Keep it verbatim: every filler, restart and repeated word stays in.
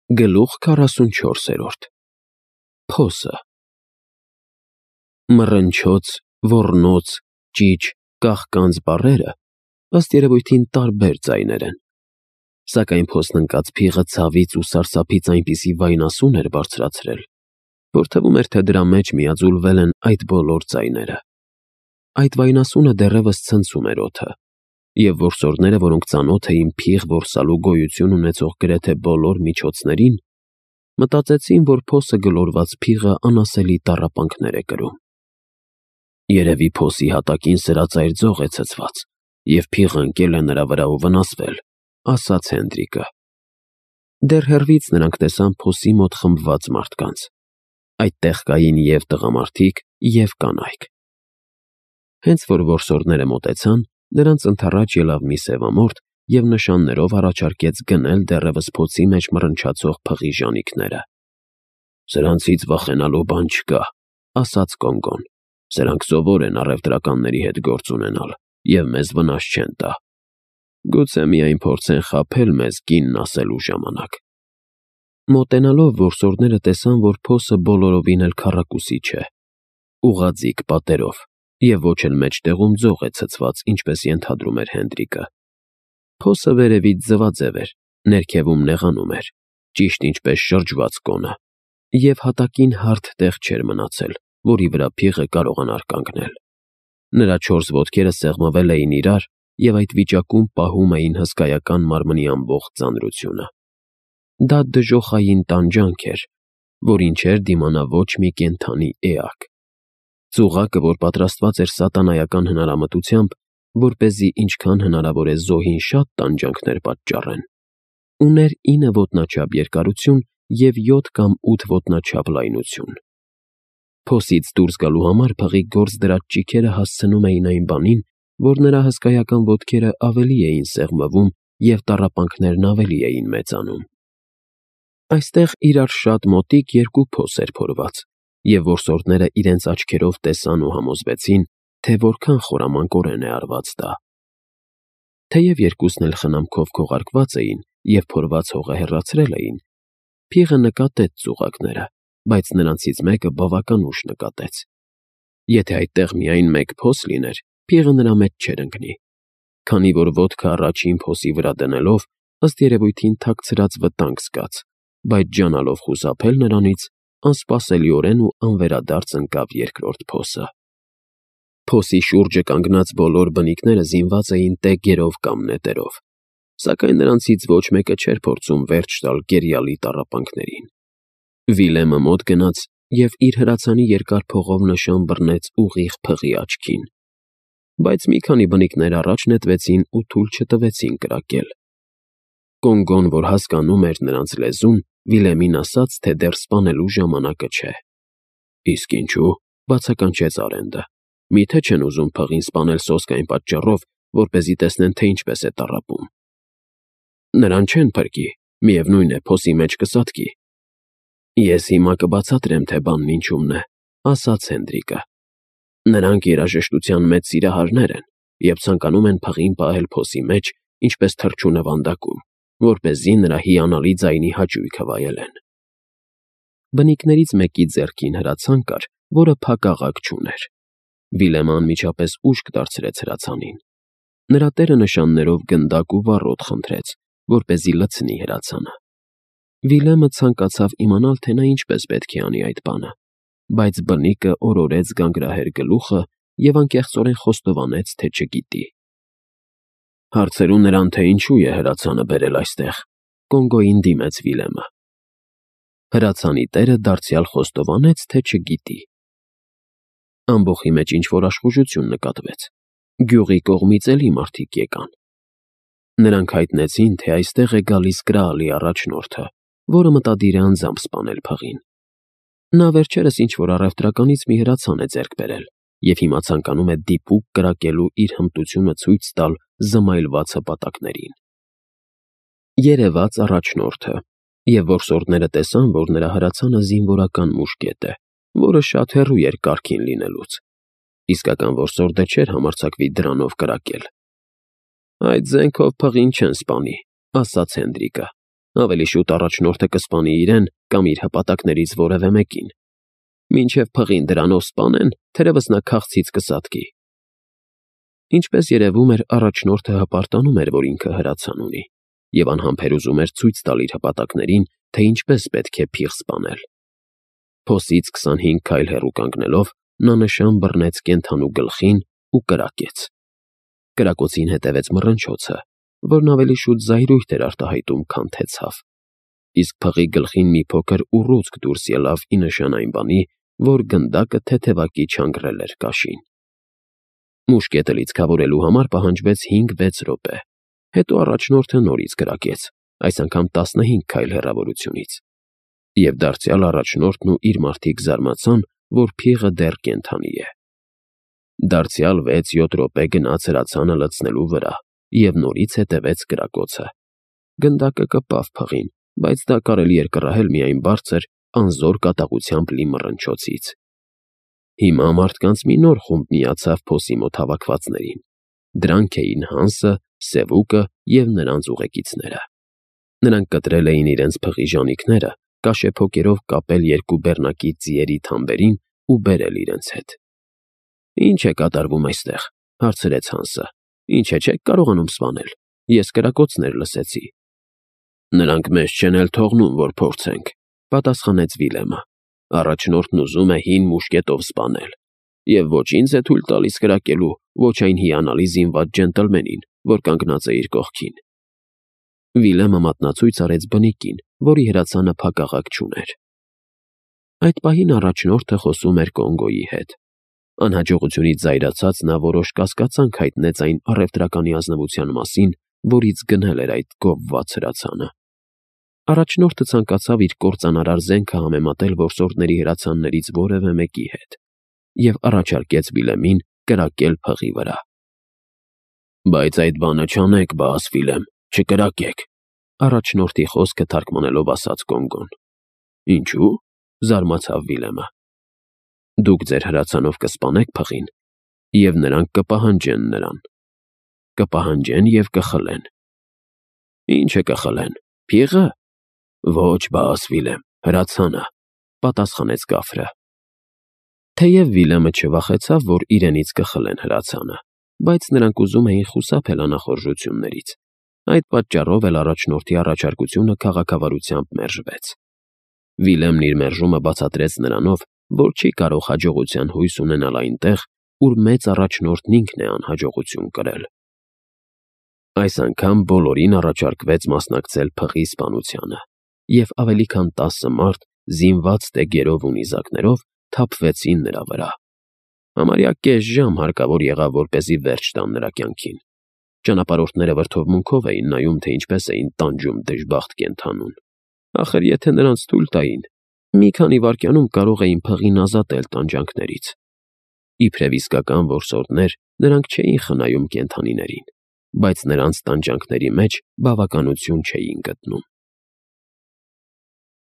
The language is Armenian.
Գլուխ քառասունչորսերորդ Փոսը Մռնչոց, ոռնոց, ճիչ, կաղկանց բառերը ըստ երևույթին տարբեր ձայներ են, սակայն փոսն ընկած փիղը ցավից ու սարսափից այնպիսի վայնասուն էր բարձրացրել, որ թվում էր, թե դրա մեջ միաձուլվել են այդ բոլոր ձայները։ Այդ վայնասունը դեռևս ցնցում էր օդը, և որսորդները, որոնք ծանոթ էին փիղ որսալու գոյություն ունեցող գրեթե բոլոր միջոցներին, մտածեցին, որ փոսը գլորված փիղը անասելի տառապանքներ է կրում։ Երևի փոսի հատակին սրածայր ձող է ցցված, և փիղը ընկել է նրա վրա ու վնասվել, ասաց Հենդրիկը։ Դեռ հեռվից նրանք տեսան փոսի մոտ խմբված մարդկանց։ Այդտեղ կային և տղամարդիկ, և կանայք։ Հենց որ որսորդները մոտեցան, նրանց ընդառաջ ելավ մի սևամորթ և նշաններով առաջարկեց գնել դեռևս փոսի մեջ մռնչացող փղի ժանիքները։ «Սրանցից վախենալու բան չկա», ասաց Կոնգոն։ «Սրանք սովոր են առևտրականների հետ գործ ունենալ և մեզ վնաս չեն տա։ Գուցե միայն փորձեն խաբել մեզ կինն ասելու ժամանակ»։ Մոտենալով որսորդները տեսան, որ փոսը բոլորովին էլ քառակուսի չէ, ուղղաձիգ պատերով, և ոչ էլ մեջտեղում ձող է ցցված, ինչպես ենթադրում էր Հենդրիկը։ Փոսը վերևից ձվաձև էր, ներքևում նեղանում էր, ճիշտ ինչպես շրջված կոնը, և հատակին հարթ տեղ չէր մնացել, որի վրա փիղը կարողանար կանգնել։ Նրա չորս ոտքերը սեղմվել էին իրար և այդ վիճակում պահում էին հսկայական մարմնի ամբողջ ծանրությունը։ Դա դժոխային տանջանք էր, որին չէր դիմանա ոչ մի կենդանի էակ։ Ծուղակը, որ պատրաստված էր սատանայական հնարամտությամբ, որպեսզի ինչքան հնարավոր է զոհին շատ տանջանքներ պատճառեն, ուներ ինը ոտնաչափ երկարություն և յոթ կամ ութ ոտնաչափ լայնություն։ Փոսից դուրս գալու համար փղի գործ դրած ճիգերը հասցնում էին այն բանին, որ նրա հսկայական ոտքերը ավելի էին սեղմվում և տառապանքներն ավելի էին մեծանում։ Այստեղ իրար շատ մոտիկ երկու փոս էր փորված, և որսորդները իրենց աչքերով տեսան ու համոզվեցին, թե որքան խորամանկորեն է արված դա։ Թեև երկուսն էլ խնամքով քողարկված էին և փորված հողը հեռացրել էին, փիղը նկատեց ծուղակները, բայց նրանցից մեկը բավական ուշ նկատեց։ Եթե այդտեղ միայն մեկ փոս լիներ, փիղը նրա մեջ չէր ընկնի, քանի որ ոտքը առաջին փոսի վրա դնելով, ըստ երևույթին թաքցրած վտանգ զգաց, բայց ջանալով խուսափել նրանից, անսպասելիորեն ու անվերադարձ ընկավ երկրորդ փոսը։ Փոսի շուրջը կանգնած բոլոր բնիկները զինված էին տեգերով կամ նետերով, սակայն նրանցից ոչ մեկը չէր փորձում վերջ տալ գերիալի տառապանքներին։ Վիլեմը մոտ գնաց և իր հրացանի երկար փողով նշան բռնեց ուղիղ փղի աչքին, բայց մի քանի բնիկներ առաջ նետվեցին ու թույլ չտվեցին կրակել։ Կոնգոն, որ հասկանում էր նրանց լեզուն, Վիլեմին ասաց, թե դեռ սպանելու ժամանակը չէ։ «Իսկ ինչու՞, բացականչեց Արենդը։ Միթե չեն ուզում փղին սպանել սոսկ այն պատճառով, որպեսզի տեսնեն, թե ինչպես է տառապում»։ «Նրան չեն փրկի, միևնույն է, փոսի մեջ կսատկի»։ «Ես հիմա կբացատրեմ, թե բանն ինչումն է», ասաց Հենդրիկը։ «Նրանք երաժշտության մեծ սիրահարներ են և ցանկանում են փղին պահել փոսի մեջ, ինչպես թռչունը վանդակում, որպեսզի նրա հիանալի ձայնի հաճույքը վայելեն»։ Բնիկներից մեկի ձեռքին հրացան կար, որը փակաղակ չուներ։ Վիլեմը անմիջապես ուշք դարձրեց հրացանին։ Նրա տերը նշաններով գնդակ ու վառոդ խնդրեց, որպեսզի լցնի հրացանը։ Վիլեմը ցանկացավ իմանալ, թե նա ինչպես պետք է անի այդ բանը, բայց բնիկը օրորեց գանգրահեր գլուխը և անկեղծորեն խոստովանեց, թե չգիտի։ «Հարցրու նրան, թե ինչու է հրացանը բերել այստեղ», Կոնգոյին դիմեց Վիլեմը։ Հրացանի տերը դարձյալ խոստովանեց, թե չգիտի։ Ամբոխի մեջ ինչ-որ աշխուժություն նկատվեց։ Գյուղի կողմից էլի մարդիկ եկան։ Նրանք հայտնեցին, թե այստեղ է գալիս Կրաալի առաջնորդը, որը մտադիր է անձամբ սպանել փղին։ Նա վերջերս ինչ-որ առևտրականից մի հրացան է ձեռք բերել և հիմա ցանկանում է դիպուկ կրակելու իր հմտությունը ցույց տալ զմայլված հպատակներին։ Երևաց առաջնորդը, և որսորդները տեսան, որ նրա հրացանը զինվորական մուշկետ է, որը շատ հեռու էր կարգին լինելուց։ Իսկական որսորդը չէր համարձակվի դրանով կրակել։ «Այդ զենքով փղին չեն սպանի», ասաց Հենդրիկը։ Ավելի շուտ առաջնորդը կսպանի իրեն կամ իր հպատակներից որևէ մեկին։ Մինչև փղին դրանով սպանեն, թերևս նա քաղցից կսատկի։ Ինչպես երևում էր, առաջնորդը հպարտանում էր, որ ինքը հրացան ունի, և անհամբեր ուզում էր ցույց տալ իր հպատակներին, թե ինչպես պետք է փիղ սպանել։ Փոսից քսանհինգ քայլ հեռու կանգնելով, նա նշան բռնեց կենդանու գլխին ու կրակեց։ Կրակոցին հետևեց մռնչոցը, որն ավելի շուտ զայրույթ էր արտահայտում, քան թե ցավ, իսկ փղի գլխին մի փոքր ուռուցք դուրս ելավ ի նշան այն բանի, որ գնդակը թեթևակի չանգռել էր կաշին։ Մուշկետը լիցքավորելու համար պահանջվեց հինգ֊վեց րոպե, հետո առաջնորդը նորից կրակեց, այս անգամ տասնհինգ քայլ հեռավորությունից, և դարձյալ առաջնորդն ու իր մարդիկ զարմացան, որ փիղը դեռ կենդանի է։ Դարձյալ վեց֊յոթ րոպե գնաց հրացանը լցնելու վրա, և նորից հետևեց կրակոցը։ Գնդակը կպավ փղին, բայց դա կարելի էր կռահել միայն բարձր, անզոր կատաղությամբ լի մռնչոցից։ Հիմա մարդկանց մի նոր խումբ միացավ փոսի մոտ հավաքվածներին։ Դրանք էին Հանսը, Սևուկը և նրանց ուղեկիցները։ Նրանք կտրել էին իրենց փղի ժանիքները, կաշեփոկերով կապել երկու բեռնակի ձիերի թամբերին ու բերել իրենց հետ։ «Ի՞նչ է կատարվում այստեղ», հարցրեց Հանսը։ «Ինչ է, չեք կարողանում սպանել։ Ես կրակոցներ լսեցի»։ «Նրանք մեզ չեն էլ թողնում, որ փորձենք», պատասխանեց Վիլեմը։ «Առաջնորդն ուզում է հին մուշկետով սպանել, և ոչ ինձ է թույլ տալիս կրակելու, ոչ այն հիանալի զինված ջենտլմենին, որ կանգնած է իր կողքին»։ Վիլեմը մատնացույց արեց բնիկին, որի հրացանը փակաղակ չուներ։ Այդ պահին առաջնորդը խոսում էր Կոնգոյի հետ։ Անհաջողությունից զայրացած նա որոշ կասկածանք հայտնեց այն առևտրականի ազնվության մասին, որից գնել էր այդ գովված հրացանը։ Առաջնորդը ցանկացավ իր կործանարար զենքը համեմատել որսորդների հրացաններից որևէ մեկի հետ և առաջարկեց Վիլեմին կրակել փղի վրա։ «Բայց այդ բանը չանեք, բաս Վիլեմ, չկրակեք», առաջնորդի խոսքը թարգմանելով ասաց Կոնգոն։ «Ինչու՞», զարմացավ Վիլեմը։ «Դուք ձեր հրացանով կսպանեք փղին, և նրանք կպահանջեն նրան։ Կպահանջեն և կխլեն»։ «Ի՞նչը կխլեն, փիղը»։ «Ոչ, բաս Վիլեմ, հրացանը», պատասխանեց կաֆրը։ Թեև Վիլեմը չվախեցավ, որ իրենից կխլեն հրացանը, բայց նրանք ուզում էին խուսափել անախորժություններից։ Այդ պատճառով էլ առաջնորդի առաջարկությունը քաղաքավարությամբ մերժվեց։ Վիլեմն իր մերժումը բացատրեց նրանով, որ չի կարող հաջողության հույս ունենալ այնտեղ, ուր մեծ առաջնորդն ինքն է անհաջողություն կրել։ Այս անգամ բոլորին առաջարկվեց մասնակցել փղի սպանությանը, և ավելի քան տասը մարդ, զինված տեգերով ու նիզակներով, թափվեցին նրա վրա։ Համարյա կես ժամ հարկավոր եղավ, որպեսզի վերջ տան նրա կյանքին։ Ճանապարհորդները վրդովմունքով էին նայում, թե ինչպես էին տանջում դժբախտ կենդանուն։ Ախր եթե նրանց թույլ տային, մի քանի վայրկյանում կարող էին փղին ազատել տանջանքներից։ Իբրև իսկական որսորդներ, նրանք չէին խնայում կենդանիներին, բայց նրանց տանջանքների մեջ բավականություն չէին գտնում։